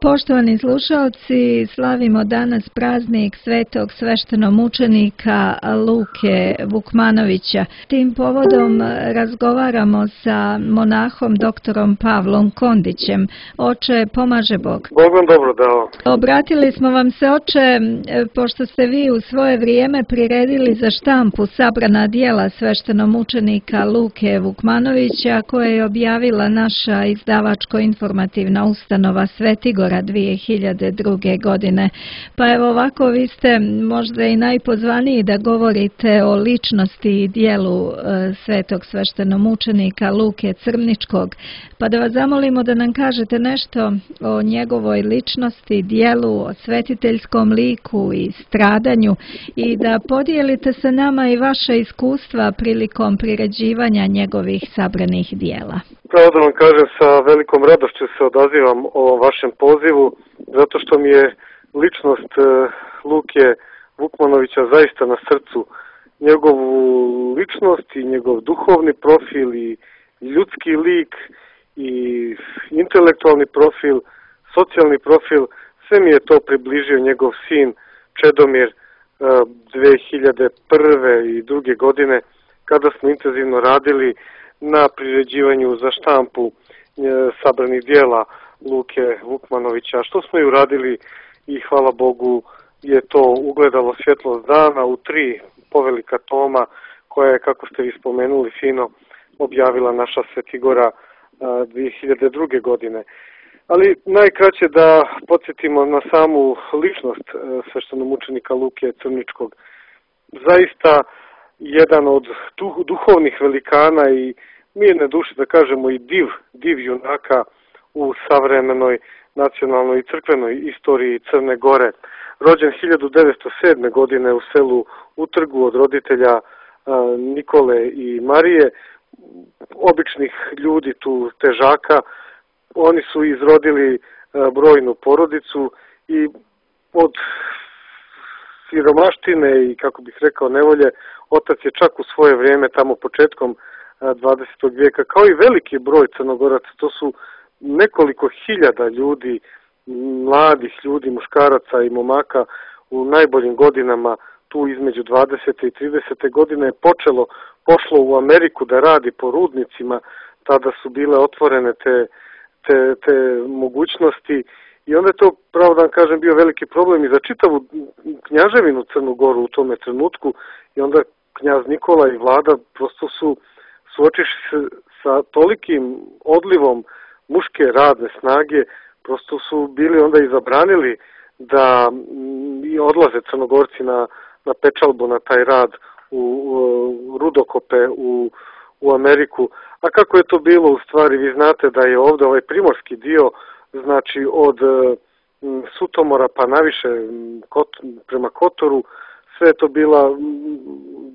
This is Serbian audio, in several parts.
Poštovani slušalci, slavimo danas praznik svetog sveštenomučenika Luke Vukmanovića. Tim povodom razgovaramo sa monahom doktorom Pavlom Kondićem. Oče, pomaže Bog. Bog vam dobro dao. Obratili smo vam se, oče, pošto ste vi u svoje vrijeme priredili za štampu sabrana dijela sveštenomučenika Luke Vukmanovića, koje je objavila naša izdavačko-informativna ustanova Svetigora 2002. godine. Pa evo ovako, vi ste možda i najpozvaniji da govorite o ličnosti i dijelu svetog sveštenomučenika Luke Crničkog. Pa da vas zamolimo da nam kažete nešto o njegovoj ličnosti, dijelu, o svetiteljskom liku i stradanju i da podijelite sa nama i vaše iskustva prilikom priređivanja njegovih sabranih dijela. Pravo da vam kažem, sa velikom radošću se odazivam o vašem pozivu, zato što mi je ličnost Luke Vukmanovića zaista na srcu. Njegovu ličnost i njegov duhovni profil i ljudski lik i intelektualni profil, socijalni profil, sve mi je to približio njegov sin Čedomir 2001. i 2002. godine, kada smo intenzivno radili na priređivanju za štampu sabranih dijela Luke Vukmanovića, što smo i uradili i hvala Bogu je to ugledalo svjetlost dana u 3 povelika toma koja je, kako ste vi spomenuli, fino objavila naša Svetigora 2002. godine. Ali najkraće da podsjetimo na samu ličnost sveštenomučenika Luke Crničkog. Zaista jedan od duhovnih velikana i mirne duše, da kažemo, i div junaka u savremenoj nacionalnoj i crkvenoj istoriji Crne Gore. Rođen 1907. godine u selu Utrgu od roditelja Nikole i Marije, običnih ljudi tu težaka. Oni su izrodili brojnu porodicu i od siromaštine i, kako bih rekao, nevolje, otac je čak u svoje vrijeme, tamo početkom 20. vijeka, kao i veliki broj Crnogoraca, to su nekoliko hiljada ljudi, mladih ljudi, muškaraca i momaka u najboljim godinama, tu između 20. i 30. godine je pošlo u Ameriku da radi po rudnicima, tada su bile otvorene te mogućnosti i onda je to, pravo da vam kažem, bio veliki problem i za čitavu knjaževinu Crnu Goru u tome trenutku i onda knjaz Nikola i vlada prosto su suočiši se sa tolikim odlivom muške radne snage, prosto su bili onda i zabranili da i odlaze Crnogorci na pečalbu, na taj rad u rudokope u Ameriku. A kako je to bilo u stvari, vi znate da je ovdje ovaj primorski dio, znači od Sutomora pa naviše prema Kotoru, sve je to bila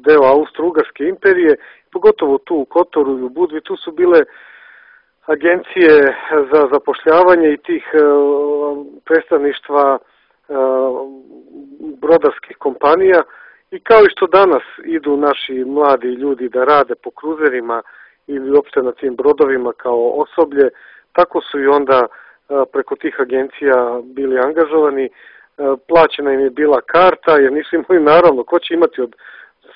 deo Austro-Ugarske imperije, pogotovo tu u Kotoru i u Budvi, tu su bile agencije za zapošljavanje i tih predstavništva brodarskih kompanija i kao i što danas idu naši mladi ljudi da rade po kruzerima ili uopšte na tim brodovima kao osoblje, tako su i onda preko tih agencija bili angažovani. Plaćena im je bila karta, jer nisu imali, naravno, ko će imati od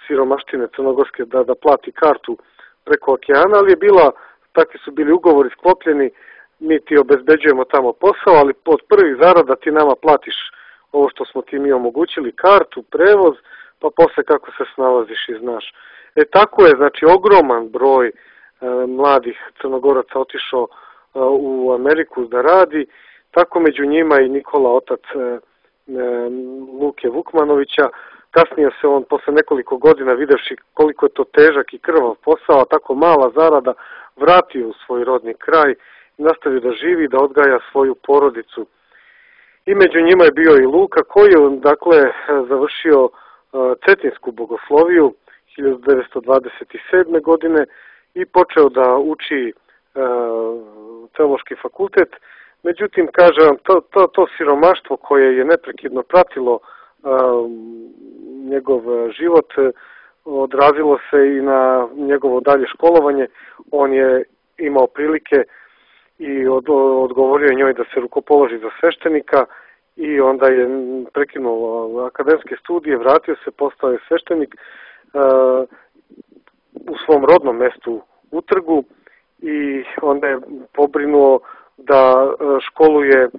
siromaštine crnogorske da plati kartu preko okeana, ali je bila, takvi su bili ugovori sklopljeni, mi ti obezbeđujemo tamo posao, ali od prvih zarada ti nama platiš ovo što smo ti mi omogućili, kartu, prevoz, pa posle kako se snalaziš i znaš. Tako je, znači, ogroman broj mladih Crnogoraca otišao u Ameriku da radi, tako među njima i Nikola, otac Luke Vukmanovića. Kasnije se on, posle nekoliko godina, videvši koliko je to težak i krvav posao, a tako mala zarada, vratio u svoj rodni kraj i nastavio da živi, da odgaja svoju porodicu. I među njima je bio i Luka, koji je, dakle, završio Cetinsku bogosloviju 1927. godine i počeo da uči teološki fakultet. Međutim, kažem, to siromaštvo koje je neprekidno pratilo njegov život odrazilo se i na njegovo dalje školovanje. On je imao prilike i odgovorio njoj da se rukopoloži za sveštenika i onda je prekinuo akademske studije, vratio se, postao je sveštenik u svom rodnom mestu u Trgu i onda je pobrinuo da školuje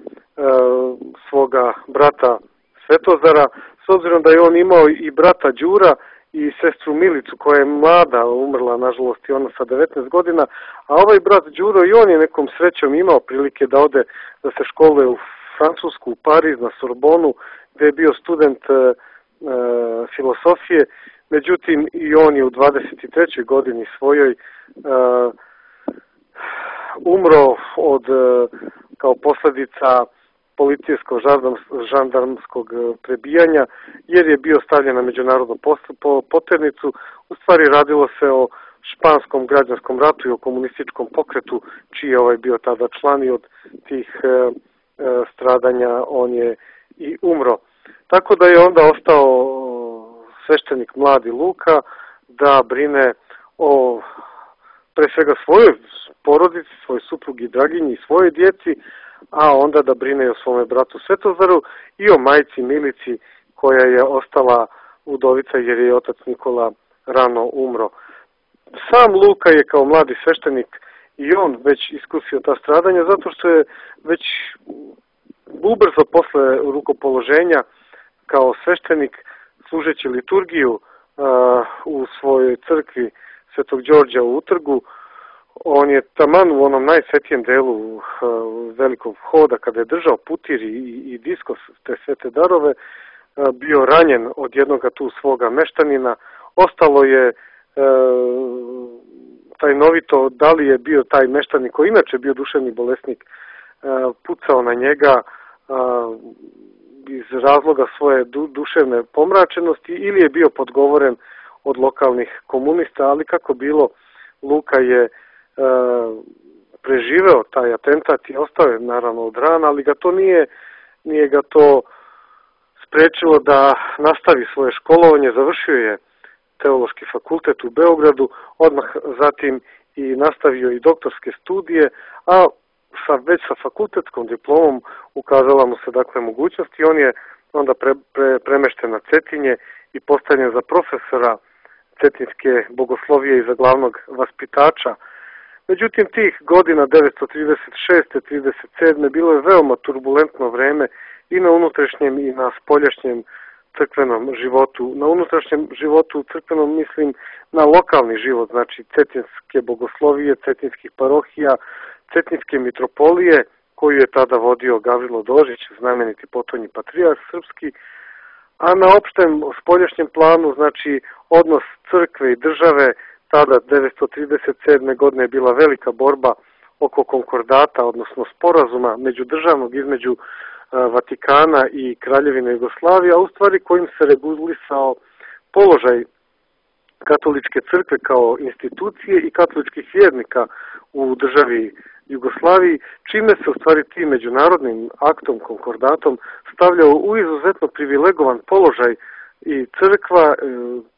svoga brata Svetozara, s obzirom da je on imao i brata Đura i sestru Milicu koja je mlada, umrla nažalost i ona sa 19 godina, a ovaj brat Đuro i on je nekom srećom imao prilike da ode da se školuje u Francusku, u Pariz, na Sorbonu, gde je bio student filosofije, međutim i on je u 23. godini svojoj umro kao posljedica policijskog žandarmskog prebijanja, jer je bio stavljen na međunarodnu poternicu. U stvari radilo se o španskom građanskom ratu i o komunističkom pokretu, čiji je bio tada član i od tih stradanja on je i umro. Tako da je onda ostao sveštenik mladi Luka da brine o pre svega svojoj porodici, svoj suprugi Draginji i svojoj djeci, a onda da brine i o svome bratu Svetozaru i o majci Milici koja je ostala udovica jer je otac Nikola rano umro. Sam Luka je kao mladi sveštenik i on već iskusio ta stradanja zato što je već ubrzo posle rukopoloženja kao sveštenik služeći liturgiju u svojoj crkvi Svetog Đorđa u Utrgu. On je taman u onom najsvetijem delu velikog hoda, kada je držao putir i diskos, te svete darove, bio ranjen od jednoga tu svoga meštanina. Ostalo je tajnovito da li je bio taj meštanin koji inače bio duševni bolesnik pucao na njega iz razloga svoje duševne pomračenosti ili je bio podgovoren od lokalnih komunista, ali kako bilo, Luka je preživeo taj atentat i ostao je naravno od rana, ali ga to nije ga to sprečilo da nastavi svoje školovanje. Završio je teološki fakultet u Beogradu, odmah zatim i nastavio i doktorske studije, a već sa fakultetskom diplomom ukazala mu se dakle mogućnost i on je onda premešten na Cetinje i postavljen za profesora cetinske bogoslovije i za glavnog vaspitača. Međutim, tih godina 1936. 37. bilo je veoma turbulentno vreme i na unutrašnjem i na spoljašnjem crkvenom životu. Na unutrašnjem životu crkvenom mislim na lokalni život, znači cetinske bogoslovije, cetinskih parohija, cetinske mitropolije, koju je tada vodio Gavrilo Dožić, znameniti potonji patrijarh srpski, a na opštem spoljašnjem planu, znači odnos crkve i države, tada 1937. godine je bila velika borba oko konkordata, odnosno sporazuma međudržavnog između Vatikana i Kraljevine Jugoslavije, a u stvari kojim se regulisao položaj katoličke crkve kao institucije i katoličkih vjernika u državi Jugoslaviji, čime se u stvari tim međunarodnim aktom, konkordatom, stavljao u izuzetno privilegovan položaj i crkva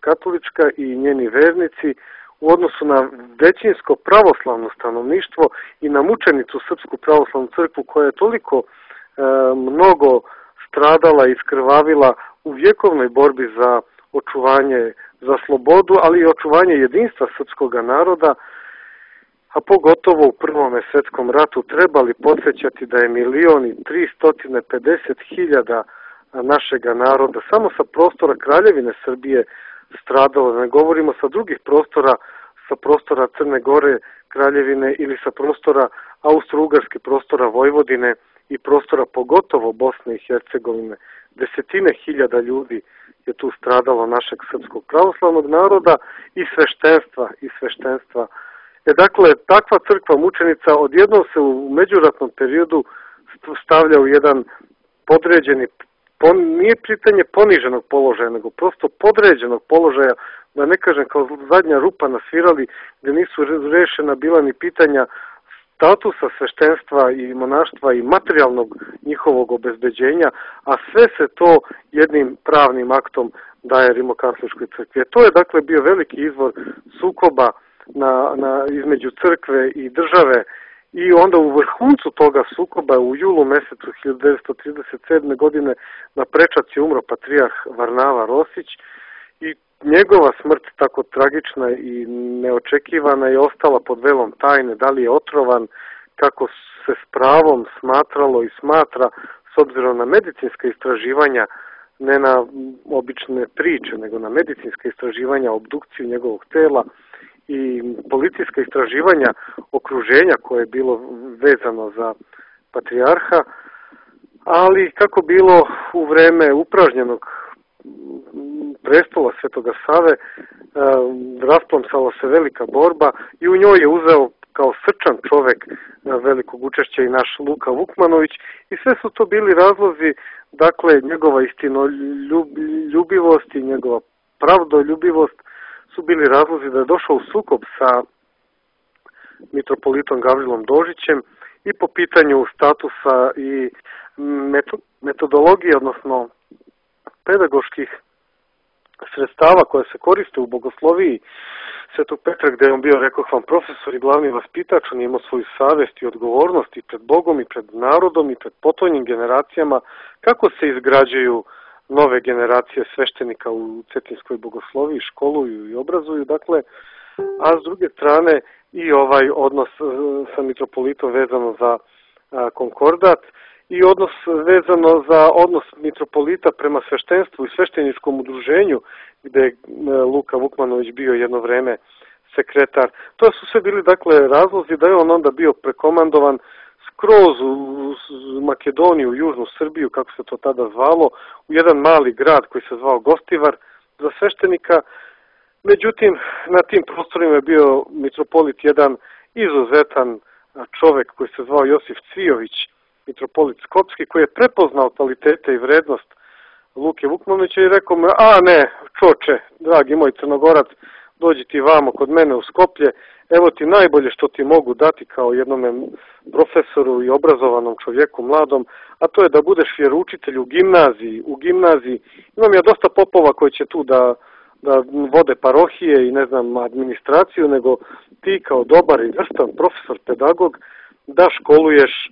katolička i njeni vernici u odnosu na većinsko pravoslavno stanovništvo i na mučenicu Srpsku pravoslavnu crkvu koja je toliko mnogo stradala i skrvavila u vjekovnoj borbi za očuvanje, za slobodu, ali i očuvanje jedinstva srpskog naroda, a pogotovo u Prvom svjetskom ratu trebali podsjećati da je 1.350.000 našega naroda samo sa prostora Kraljevine Srbije stradalo, da ne govorimo sa drugih prostora, sa prostora Crne Gore, Kraljevine ili sa prostora Austro-Ugarske, prostora Vojvodine i prostora pogotovo Bosne i Hercegovine. Desetine hiljada ljudi je tu stradalo našeg srpskog pravoslavnog naroda i sveštenstva. Dakle, takva crkva mučenica odjednom se u međuratnom periodu stavlja u jedan podređeni, nije pitanje poniženog položaja, nego prosto podređenog položaja, da ne kažem kao zadnja rupa na svirali, gdje nisu rešena bila ni pitanja statusa sveštenstva i monaštva i materijalnog njihovog obezbeđenja, a sve se to jednim pravnim aktom daje Rimokatoličkoj crkvi. To je dakle bio veliki izvor sukoba između crkve i države I onda u vrhuncu toga sukoba u julu mesecu 1937. godine na prečac je umro patrijarh Varnava Rosić i njegova smrt, tako tragična i neočekivana, je ostala pod velom tajne. Da li je otrovan, kako se s pravom smatralo i smatra, s obzirom na medicinska istraživanja, ne na obične priče, nego na medicinska istraživanja, obdukciju njegovog tela i policijska istraživanja okruženja koje je bilo vezano za patrijarha, ali kako bilo u vreme upražnjenog prestola Svetoga Save, rasplamsala se velika borba i u njoj je uzeo kao srčan čovek velikog učešća i naš Luka Vukmanović i sve su to bili razlozi, dakle njegova istinoljubivost i njegova pravdoljubivost su bili razlozi da je došao u sukob sa mitropolitom Gavrilom Dožićem i po pitanju statusa i metodologije, odnosno pedagoških sredstava koje se koriste u bogosloviji Svetog Petra, gde je on bio, rekoh vam, profesor i glavni vaspitač. On je imao svoju savest i odgovornost i pred Bogom i pred narodom i pred potonjim generacijama, kako se izgrađuju nove generacije sveštenika u cetinskoj bogosloviji, školuju i obrazuju, dakle, a s druge strane i ovaj odnos sa mitropolitom vezano za konkordat i odnos vezano za odnos mitropolita prema sveštenstvu i svešteničkom udruženju, gde je Luka Vukmanović bio jedno vreme sekretar. To su sve bili, dakle, razlozi da je on onda bio prekomandovan skroz u Makedoniju, u južnu Srbiju, kako se to tada zvalo, u jedan mali grad koji se zvao Gostivar za sveštenika. Međutim, na tim prostorima je bio mitropolit jedan izuzetan čovek koji se zvao Josif Cvijović, mitropolit Skopski, koji je prepoznao kvalitete i vrednost Luke Vukmanovića i rekao mu, ne, čoče, dragi moj Crnogorac, dođi ti vamo kod mene u Skoplje, evo ti najbolje što ti mogu dati kao jednome profesoru i obrazovanom čovjeku mladom, a to je da budeš vjeroučitelj u gimnaziji. Imam ja dosta popova koji će tu da vode parohije i administraciju, nego ti kao dobar i vrstan profesor, pedagog, da školuješ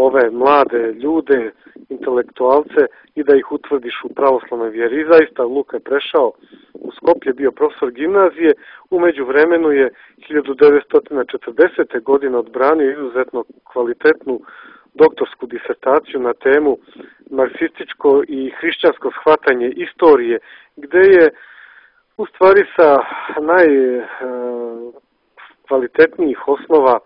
ove mlade ljude, intelektualce i da ih utvrdiš u pravoslavnoj vjeri. I zaista Luka je prešao u Skoplje, bio profesor gimnazije, u međuvremenu je 1940. godine odbranio izuzetno kvalitetnu doktorsku disertaciju na temu marksističko i hrišćansko shvatanje istorije, gde je u stvari sa najkvalitetnijih osnova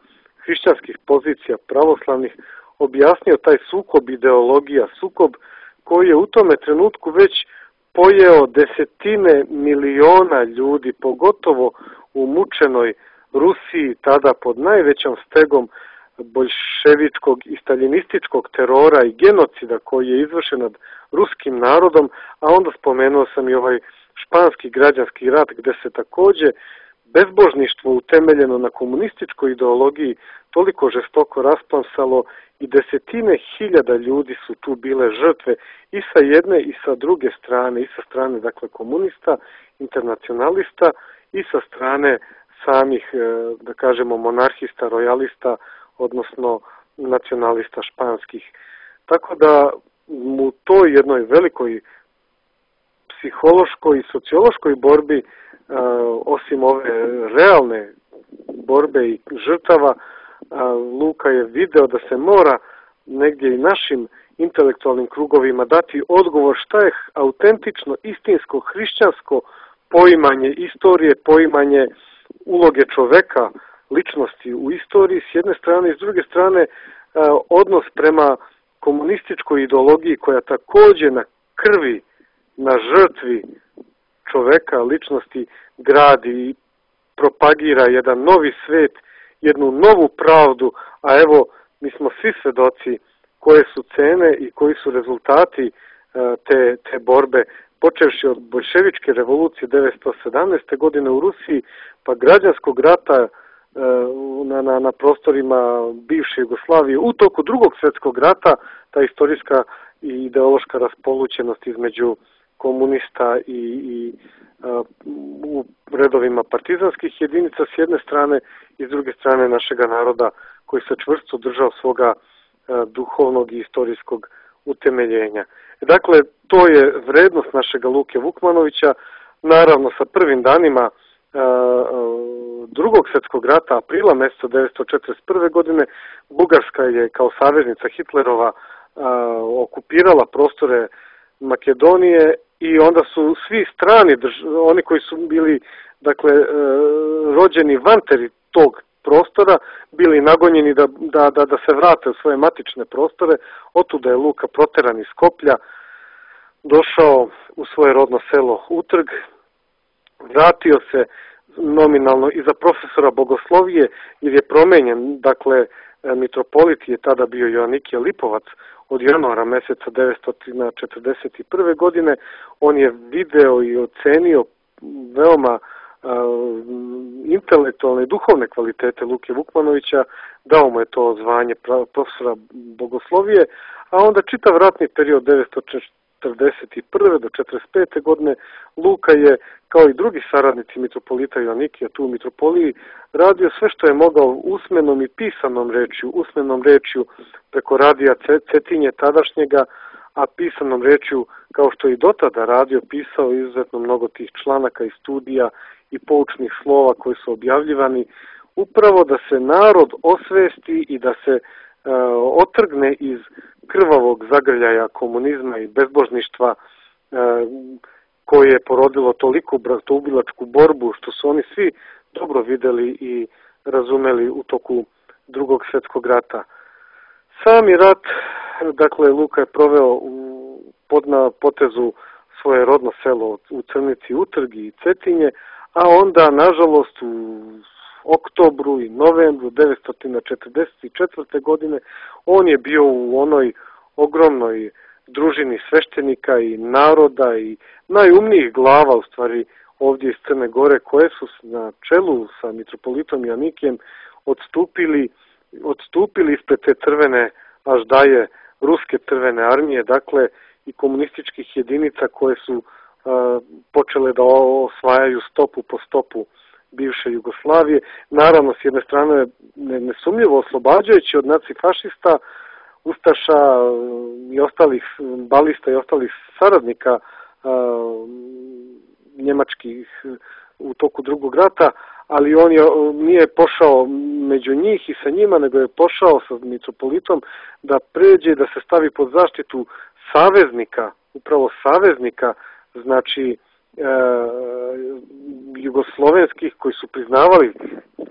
hrišćanskih pozicija pravoslavnih objasnio taj sukob ideologija, sukob koji je u tome trenutku već pojeo desetine miliona ljudi, pogotovo u mučenoj Rusiji, tada pod najvećom stegom boljševičkog i staljinističkog terora i genocida koji je izvršen nad ruskim narodom, a onda spomenuo sam i ovaj španski građanski rat, gde se takođe bezbožništvo utemeljeno na komunističkoj ideologiji toliko žestoko rasplamsalo i desetine hiljada ljudi su tu bile žrtve i sa jedne i sa druge strane, i sa strane, dakle, komunista, internacionalista i sa strane samih, da kažemo, monarhista, rojalista, odnosno nacionalista španskih. Tako da u toj jednoj velikoj psihološkoj i sociološkoj borbi, osim ove realne borbe i žrtava, Luka je video da se mora negdje i našim intelektualnim krugovima dati odgovor šta je autentično, istinsko, hrišćansko poimanje istorije, poimanje uloge čoveka, ličnosti u istoriji s jedne strane i s druge strane odnos prema komunističkoj ideologiji koja takođe na krvi, na žrtvi čoveka, ličnosti gradi i propagira jedan novi svet, jednu novu pravdu, a evo mi smo svi svedoci koje su cene i koji su rezultati te borbe, počevši od boljševičke revolucije 1917. godine u Rusiji, pa građanskog rata na prostorima bivše Jugoslavije, u toku Drugog svjetskog rata, ta istorijska i ideološka raspolućenost između komunista i u redovima partizanskih jedinica s jedne strane i s druge strane našega naroda koji se čvrsto držao svoga duhovnog i istorijskog utemeljenja. Dakle, to je vrednost našega Luke Vukmanovića. Naravno, sa prvim danima Drugog svjetskog rata, aprila mjeseca 1941. godine, Bugarska je kao saveznica Hitlerova okupirala prostore Makedonije i onda su svi strani, oni koji su bili rođeni van tog prostora, bili nagonjeni da se vrate u svoje matične prostore. Otuda je Luka proteran iz Skoplja, došao u svoje rodno selo Utrg, vratio se nominalno i za profesora bogoslovije jer je promenjen, mitropolit je tada bio Joanikije Lipovac od januara mjeseca 1941. godine. On je video i ocenio veoma intelektualne i duhovne kvalitete Luke Vukmanovića, dao mu je to zvanje profesora bogoslovije, a onda čitav ratni period 1941. do 1945. godine Luka je, kao i drugi saradnici mitropolita Joanikija tu u mitropoliji, radio sve što je mogao usmenom i pisanom rečju, usmenom rečju preko radija Cetinje tadašnjega, a pisanom rečju, kao što je i dotada radio, pisao izuzetno mnogo tih članaka i studija i poučnih slova koji su objavljivani, upravo da se narod osvesti i da se otrgne iz krvavog zagrljaja komunizma i bezbožništva koje je porodilo toliko bratoubilačku borbu, što su oni svi dobro videli i razumeli u toku Drugog svjetskog rata. Sami rat, Luka je proveo na potezu svoje rodno selo u Crnici, Utrg i Cetinje, a onda, nažalost, u oktobru i novembru 1944. godine on je bio u onoj ogromnoj družini sveštenika i naroda i najumnijih glava, u stvari, ovdje iz Crne Gore, koje su na čelu sa mitropolitom Joanikijem odstupili ispred te crvene aždaje ruske crvene armije, i komunističkih jedinica koje su počele da osvajaju stopu po stopu bivše Jugoslavije. Naravno, s jedne strane nesumnjivo oslobađajući od nacifašista, ustaša i ostalih balista i ostalih saradnika njemačkih u toku Drugog rata, ali on nije pošao među njih i sa njima, nego je pošao sa mitropolitom da pređe, da se stavi pod zaštitu saveznika, upravo saveznika, znači jugoslovenskih, koji su priznavali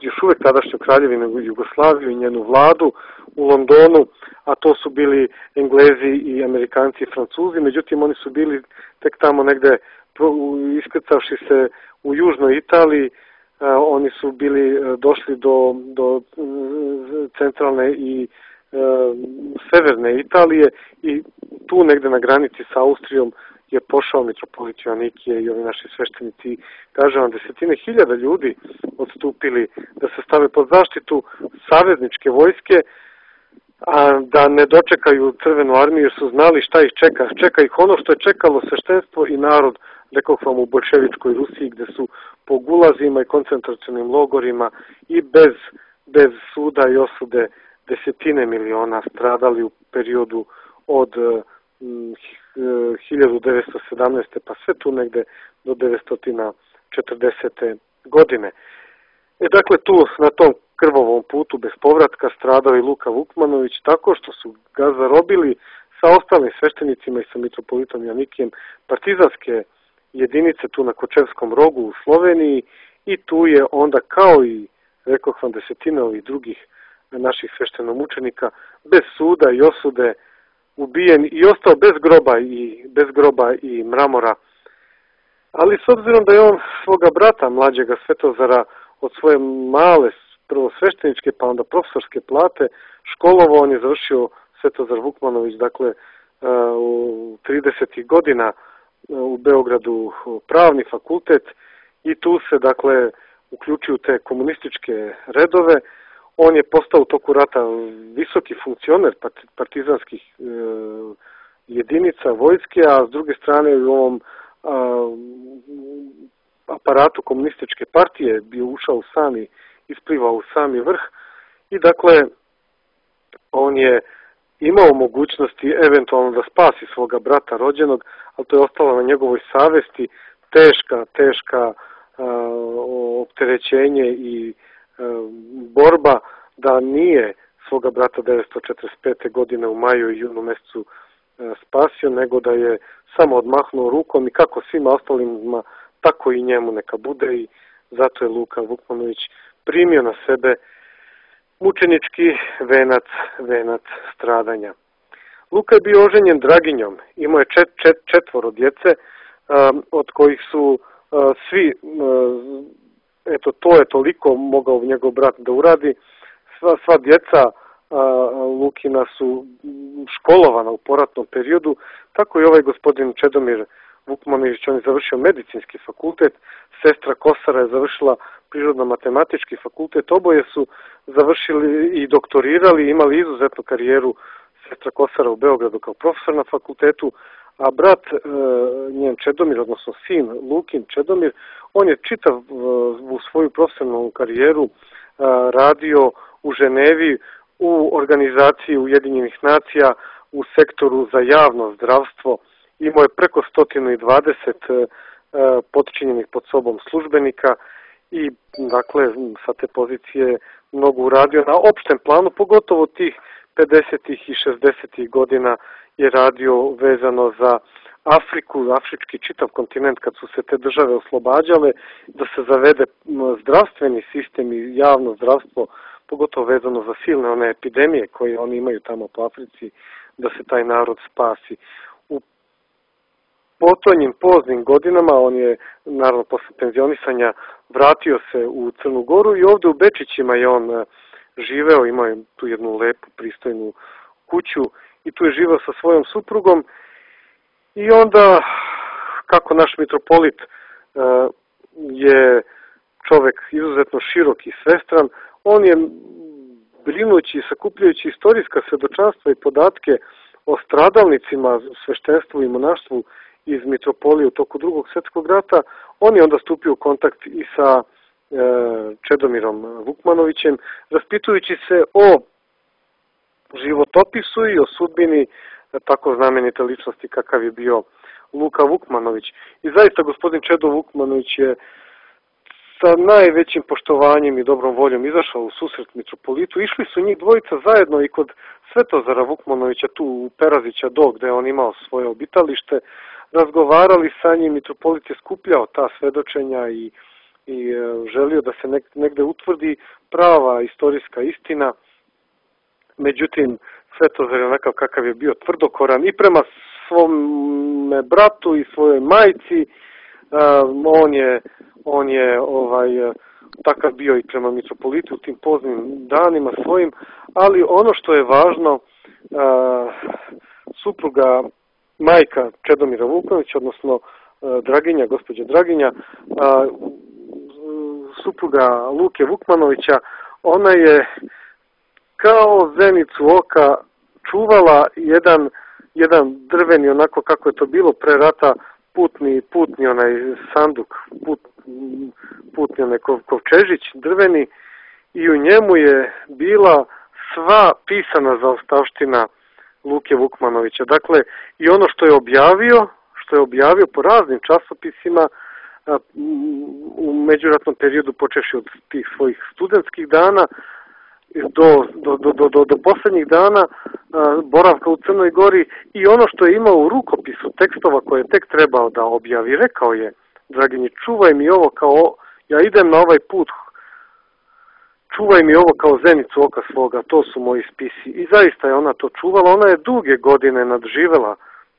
još uvek tadašnju kraljevinu Jugoslaviju i njenu vladu u Londonu, a to su bili Englezi i Amerikanci i Francuzi. Međutim, oni su bili tek tamo negde iskrcavši se u južnoj Italiji, oni su bili došli do centralne i severne Italije i tu negde na granici sa Austrijom je pošao mitropolit Joanikije i ovi naši sveštenici. Kaže vam, desetine hiljada ljudi odstupili da se stave pod zaštitu savezničke vojske, a da ne dočekaju crvenu armiju jer su znali šta ih čeka. Čeka ih ono što je čekalo sveštenstvo i narod, rekao vam, u bolševičkoj Rusiji, gde su po gulazima i koncentracionim logorima i bez suda i osude desetine miliona stradali u periodu od 1917. pa sve tu negde do 1940. godine. Tu na tom krvavom putu bez povratka stradao i Luka Vukmanović tako što su ga zarobili sa ostalim sveštenicima i sa mitropolitom Joanikijem partizanske jedinice tu na Kočevskom rogu u Sloveniji i tu je onda, kao i rekao vam, desetine ovih drugih naših sveštenomučenika, bez suda i osude ubijen i ostao bez groba i mramora. Ali s obzirom da je on svoga brata mlađega Svetozara od svoje male prvo svešteničke pa onda profesorske plate školovao, on je završio Svetozar Vukmanović u 30. godina u Beogradu pravni fakultet i tu se uključio te komunističke redove. On je postao u toku rata visoki funkcioner partizanskih jedinica vojske, a s druge strane u ovom aparatu komunističke partije bio ušao isplivao u sami vrh i on je imao mogućnosti eventualno da spasi svoga brata rođenog, ali to je ostalo na njegovoj savesti, teška opterećenje i borba da nije svoga brata 1945. godine u maju i junu mesecu spasio, nego da je samo odmahnuo rukom i kako svima ostalima, tako i njemu neka bude, i zato je Luka Vukmanović primio na sebe mučenički venac stradanja. Luka je bio oženjen Draginjom, imao je četvoro djece, od kojih su svi, eto to je toliko mogao njegov brat da uradi, sva djeca Lukina su školovana u poratnom periodu, tako i ovaj gospodin Čedomir Vukmanović, on je završio medicinski fakultet, sestra Kosara je završila prirodno-matematički fakultet, oboje su završili i doktorirali, imali izuzetnu karijeru, sestra Kosara u Beogradu kao profesor na fakultetu, a brat njen Čedomir, odnosno sin Lukin Čedomir, on je čitav u svoju profesionalnu karijeru radio u Ženevi, u organizaciji Ujedinjenih nacija, u sektoru za javno zdravstvo. Imao je preko 120 potčinjenih pod sobom službenika i dakle sa te pozicije mnogo uradio na opštem planu, pogotovo tih 50. i 60. godina je radio vezano za Afriku, afrički čitav kontinent, kad su se te države oslobađale, da se zavede zdravstveni sistem i javno zdravstvo, pogotovo vezano za silne one epidemije koje oni imaju tamo po Africi, da se taj narod spasi. U potonjim poznim godinama, on je naravno posle penzionisanja vratio se u Crnu Goru i ovde u Bečićima je on živeo, imao je tu jednu lepu, pristojnu kuću i tu je živeo sa svojom suprugom. I onda, kako naš mitropolit je čovek izuzetno širok i svestran, on je, brinući i sakupljajući istorijska svedočanstva i podatke o stradalnicima, sveštenstvu i monaštvu iz mitropolije u toku Drugog svjetskog rata, on je onda stupio u kontakt i sa Čedomirom Vukmanovićem, raspitujući se o životopisu i o sudbini tako znamenite ličnosti kakav je bio Luka Vukmanović. I zaista gospodin Čedo Vukmanović je sa najvećim poštovanjem i dobrom voljom izašao u susret mitropolitu. Išli su njih dvojica zajedno i kod Svetozara Vukmanovića tu u Perazića Do, gde on imao svoje obitalište, razgovarali sa njim, mitropolit je skupljao ta svedočenja i želio da se negde utvrdi prava istorijska istina. Međutim, Svetozar je onakav kakav je bio, tvrdokoran i prema svom bratu i svojoj majci, on je takav bio i prema mitropolitu u tim poznim danima svojim, ali ono što je važno, supruga, majka Čedomira Vukmanovića, odnosno Draginja, gospođa Draginja, supruga Luke Vukmanovića, ona je kao zenicu oka čuvala jedan drveni, onako kako je to bilo pre rata, putni onaj sanduk, putni onaj kovčežić drveni, i u njemu je bila sva pisana zaostavština Luke Vukmanovića. Dakle, i ono što je objavio po raznim časopisima u međuratnom periodu, počevši od tih svojih studentskih dana do poslednjih dana boravka u Crnoj Gori, i ono što je imao u rukopisu tekstova koje je tek trebao da objavi. Rekao je Draginji: čuvaj mi ovo kao, ja idem na ovaj put, čuvaj mi ovo kao zenicu oka svoga, to su moji spisi. I zaista je ona to čuvala. Ona je duge godine nadživela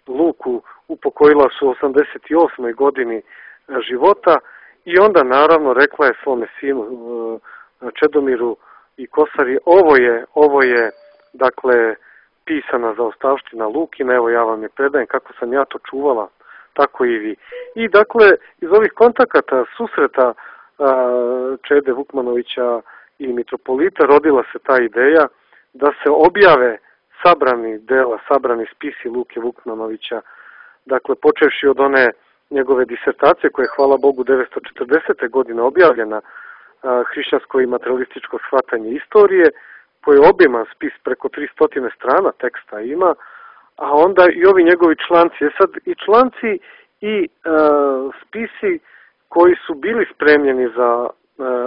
Luku, upokojila su u 88. godini života, i onda naravno rekla je svome sinu Čedomiru i Kosari: ovo je dakle pisana zaostavština Lukina, evo ja vam je predajem, kako sam ja to čuvala, tako i vi. I dakle, iz ovih kontakata, susreta Čede Vukmanovića i mitropolita rodila se ta ideja da se objave sabrani spisi Luke Vukmanovića, dakle počevši od one njegove disertacije koja je, hvala Bogu, 1940. godine objavljena, Hrišćansko i materialističko shvatanje istorije, koji je obiman spis, preko 300 strana teksta ima, a onda i ovi njegovi članci. Sad i članci i spisi koji su bili spremljeni za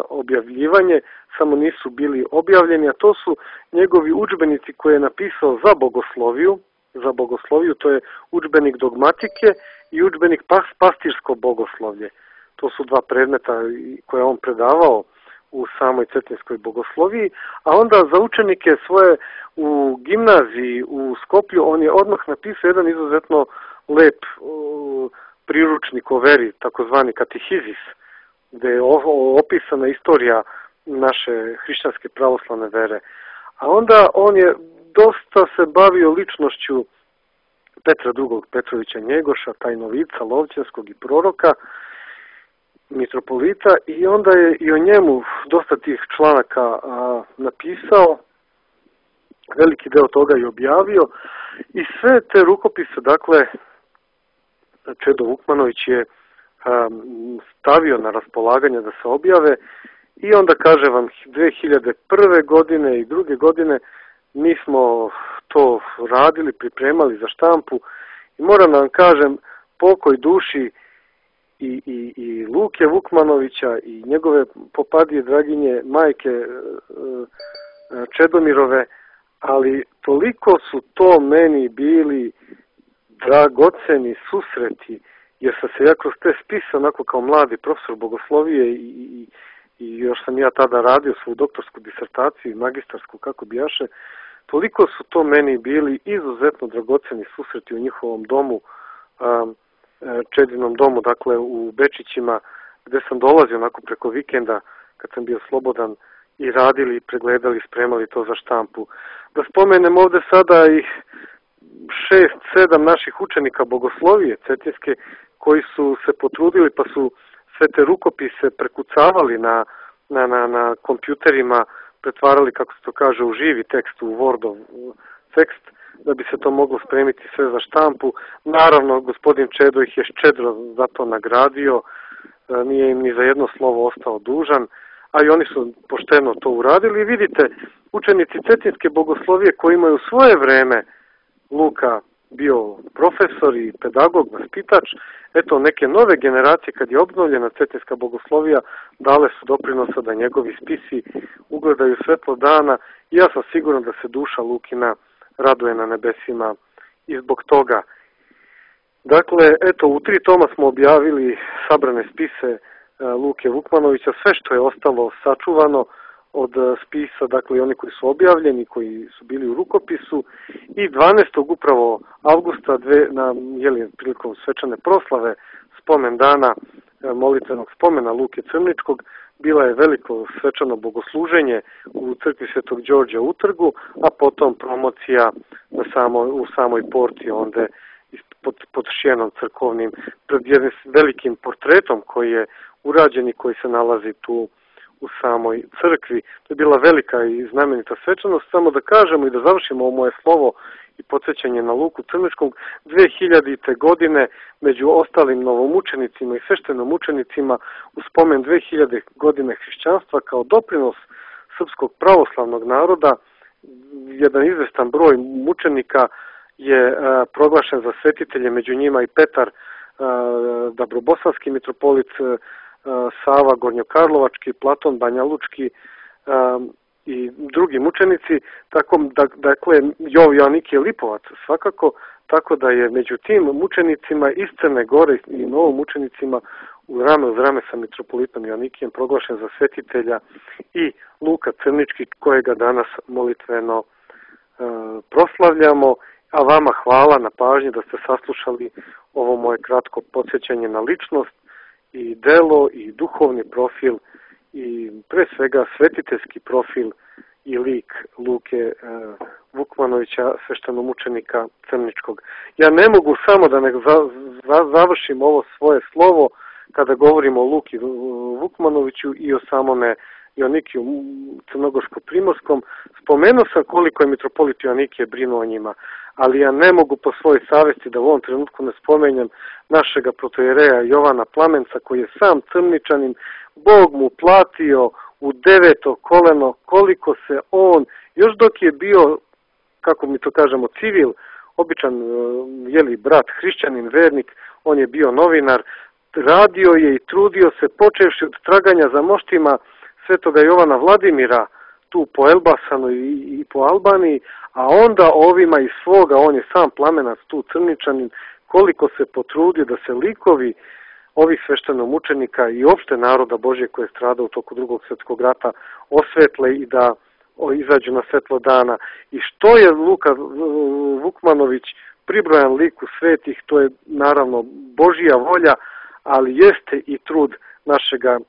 objavljivanje, samo nisu bili objavljeni, a to su njegovi udžbenici koje je napisao za bogosloviju, to je udžbenik dogmatike i udžbenik pastirsko bogoslovlje. To su dva predmeta koje on predavao u samoj cetinskoj bogosloviji, a onda za učenike svoje u gimnaziji u Skoplju on je odmah napisao jedan izuzetno lep priručnik o veri, takozvani katehizis, gde je opisana istorija naše hrišćanske pravoslavne vere. A onda on je dosta se bavio ličnošću Petra II. Petrovića Njegoša, tajnovica Lovćenskog i proroka, mitropolita, i onda je i o njemu dosta tih članaka napisao, veliki deo toga je objavio, i sve te rukopise, dakle, Čedo Vukmanović je stavio na raspolaganje da se objave, i onda kaže vam 2001. godine i druge godine mi smo to radili, pripremali za štampu, i moram da vam kažem, pokoj duši i Luke Vukmanovića i njegove popadije draginje majke Čedomirove, ali toliko su to meni bili dragoceni susreti, jer sam se ja kroz te spise, onako kao mladi profesor bogoslovije, i još sam ja tada radio svoju doktorsku disertaciju i magistarsku, kako bijaše, toliko su to meni bili izuzetno dragoceni susreti u njihovom domu, Čedinom domu, dakle u Bečićima, gde sam dolazio onako preko vikenda, kad sam bio slobodan, i radili, pregledali, spremali to za štampu. Da spomenem ovde sada i 6-7 naših učenika bogoslovije cetinske, koji su se potrudili pa su sve te rukopise prekucavali na kompjuterima, pretvarali, kako se to kaže, u živi tekst, u Wordov tekst, da bi se to moglo spremiti sve za štampu. Naravno, gospodin Čedo ih je ščedro za to nagradio, nije im ni za jedno slovo ostao dužan, a i oni su pošteno to uradili. I vidite, učenici cetinske bogoslovije koji imaju u svoje vreme Luka bio profesor i pedagog, vaspitač, eto neke nove generacije, kad je obnovljena cetinska bogoslovija, dale su doprinosa da njegovi spisi ugledaju svetlo dana, i ja sam siguran da se duša Lukina raduje na nebesima i zbog toga. Dakle, eto, u 3 toma smo objavili sabrane spise Luke Vukmanovića, sve što je ostalo sačuvano od spisa, dakle i oni koji su objavljeni, koji su bili u rukopisu, i 12. upravo avgusta prilikom svečane proslave spomen dana molitvenog spomena Luke Crničkog, bila je veliko svečano bogosluženje u crkvi Svetog Đorđa u Utrgu, a potom promocija u samoj porti, onda pod šjenom crkovnim, pred jednim velikim portretom koji je urađen i koji se nalazi tu u samoj crkvi. To je bila velika i znamenita svečanost. Samo da kažemo i da završimo ovo moje slovo i podsjećanje na Luku Crničkog, 2000. godine među ostalim novomučenicima i sveštenomučenicima u spomen 2000. godine hrišćanstva kao doprinos srpskog pravoslavnog naroda, jedan izvestan broj mučenika je proglašen za svetitelje, među njima i Petar Dabrobosanski mitropolit, Sava Gornjokarlovački, Platon Banjalučki i drugi mučenici, dakle Joannikije Lipovac svakako, tako da je među tim mučenicima iz Crne Gore i novomučenicima u rame uz rame sa mitropolitom Joannikijem proglašen za svetitelja i Luka Crnički, kojega danas molitveno proslavljamo. A vama hvala na pažnji da ste saslušali ovo moje kratko podsjećanje na ličnost i delo i duhovni profil i pre svega svetiteljski profil i lik Luke Vukmanovića, sveštenomučenika Crničkog. Ja ne mogu samo da ne završim ovo svoje slovo kada govorimo o Luki Vukmanoviću i o samome Joannikiju Crnogorsko-Primorskom. Spomenuo sam koliko je mitropolit Joannikije brinuo o njima, ali ja ne mogu po svojoj savesti da u ovom trenutku ne spomenjem našega protojereja Jovana Plamenca, koji je sam Crničanin, Bog mu platio u 9. koleno koliko se on Još dok je bio, kako mi to kažemo, civil, običan brat, hrišćanin, vernik, on je bio novinar, radio je i trudio se, počevši od traganja za moštima Svetoga Jovana Vladimira, tu po Elbasanu i po Albaniji, a onda ovima iz svoga, on je sam plamenac, tu Crničanin, koliko se potrudio da se likovi ovih sveštenomučenika i opšte naroda Božje koje je stradao u toku Drugog svjetskog rata osvetle i da izađu na svetlo dana. I što je Luka Vukmanović pribrojan liku svetih, to je naravno Božja volja, ali jeste i trud našega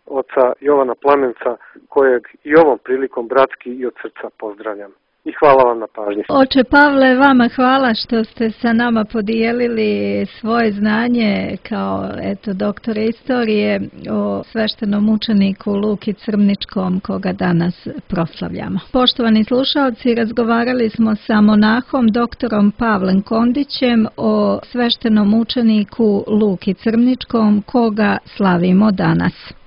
oca Jovana Plamenca, kojeg i ovom prilikom bratski i od srca pozdravljam. I hvala vam na pažnji. Oče Pavle, vama hvala što ste sa nama podijelili svoje znanje kao doktor istorije o sveštenom mučeniku Luki Crmničkom koga danas proslavljamo. Poštovani slušalci, razgovarali smo sa monahom doktorom Pavlem Kondićem o sveštenom mučeniku Luki Crmničkom koga slavimo danas.